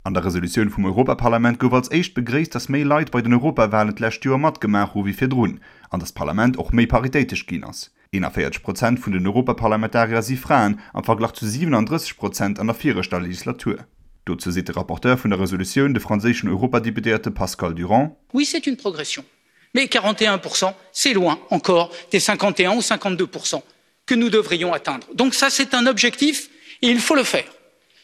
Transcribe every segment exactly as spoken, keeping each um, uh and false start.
An der Resolutioun vum Europaparlament gouf als éischt begréisst, datt méi Leit bei den Europawalen d'lescht Joer matgemaach hu wéi virdrun an datt d'Parlament och méi paritéitesch ginn ass. eenanvéierzeg Prozent vun den Europaparlamentarier si Fraen, am Verglach zu siwenandrësseg Prozent an der viregter Legislatur. Dozou seet de Rapporteur vun der Resolutioun, de franséischen Europadeputéierte Pascal Durand. Oui, c'est une progression, mais quarante et un pour cent, c'est loin encore des cinquante et un ou cinquante-deux pour cent que nous devrions atteindre. Donc ça, c'est un objectif et il faut le faire.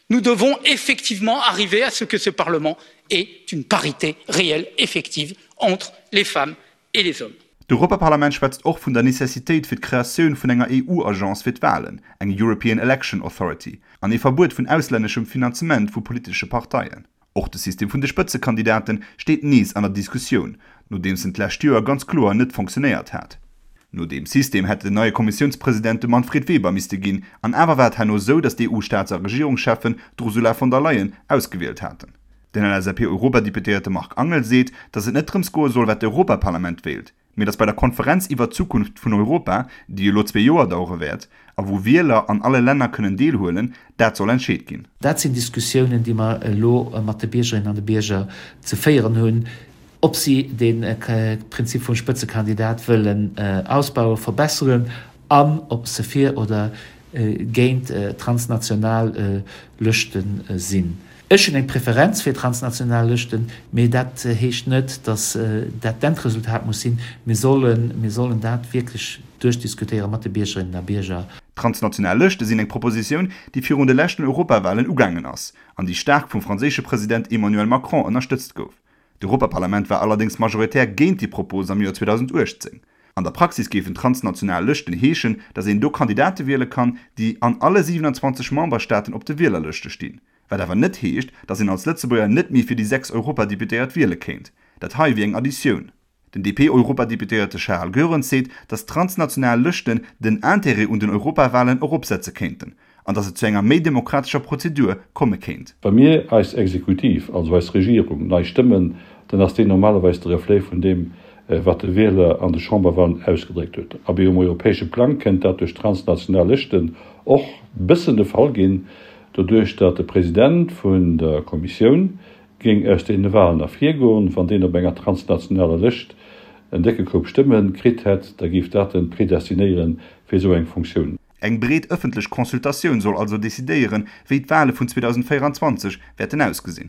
Nous devons effectivement arriver à ce que ce Parlement ait une parité réelle, effective, entre les femmes et les hommes. D'Europaparlament schwätzt och vun der Necessitéit fir d'Kreatioun vun enger E U-Agence fir d'Walen, eng European Election Authority, an ee Verbuet vun auslänneschem Finanzement vu politesche Parteien. Och de System vun de Spëtzekandidaten steet nees an der Diskussioun, nodeems en d'lescht Joer ganz kloer net funktionéiert hat. No deem System hätt den neie Kommissiounspresident de Manfred Weber misste ginn, an awer war et herno sou, datt d'E U-Staats a Regierungscheffen d'Ursula von der Leyen ausgewielt haten. Den L S A P-Europadeputéierte Marc Angel seet, datt et net drëms goe soll, wat d'Europaparlament wéilt, mee datt bei der Konferenz iwwer d'Zukunft vun Europa, déi elo zwee Joer dauere wäert, a wou Wieler an alle Länner kënnen deelhuelen, dat soll entscheet ginn. Dat sinn Diskussiounen, déi mer elo mat de Biergerinnen an de Bierger ze féieren hunn, ob si de Prinzip vum Spëtzekandidat wëllen ausbauen, verbesseren an ob se fir oder géint transnational Lëschte sinn. Ech hunn eng Preferenz fir transnational Lëschten, mee dat heescht net, datt dat d'Endresultat muss sinn. Mir sollen, mir sollen dat wierklech duerchdiskutéiere mat de Biergerinnen a Bierger. Transnational Lëschte sinn eng Propositioun, déi virun de leschten Europawalen ugaangen ass an déi staark vum franséische President Emmanuel Macron ënnerstëtzt gouf. D'Europaparlament war allerdéngs majoritär géint déi Propos am Joer zweedausendachtzéng. An der Praxis géifen transnational Lëschten heeschen, datt een do Kandidate wiele kann, déi an alle siwenanzwanzeg Memberstaaten op de Wielerlëschte stinn. Wat awer net heescht, datt een als Lëtzebuerger net méi fir déi sechs Europadeputéiert wiele kéint. Dat hei wier eng Additioun. Den D P-Europadeputéierte Charles Goerens seet, datt transnational Lëschten den Interêt un den Europawalen eropsetze kéinten an datt et zu enger méi demokratescher Prozedur komme kéint. Wa mir eis Exekutiv, also eis Regierung, nei stëmmen, dann ass deen normalerweis de Reflet vun deem, wat de Wieler an de Chamberwahlen ausgedréckt huet. Abee, um europäesche Plang kënnt dat duerch transnational Lëschten och bëssen de Fall ginn, doduerch datt de President vun der Kommissioun géing aus deene Wahlen ervirgoen. Wann deen op enger transnationaler Lëscht en décke Koup Stëmme kritt hätt, da géif dat en predestinéiere fir esou eng Funktioun. Eng breet ëffentlech Consultatioun soll also decidéieren, wéi d'Wale vun zweedausendvéieranzwanzeg wäerten ausgesinn.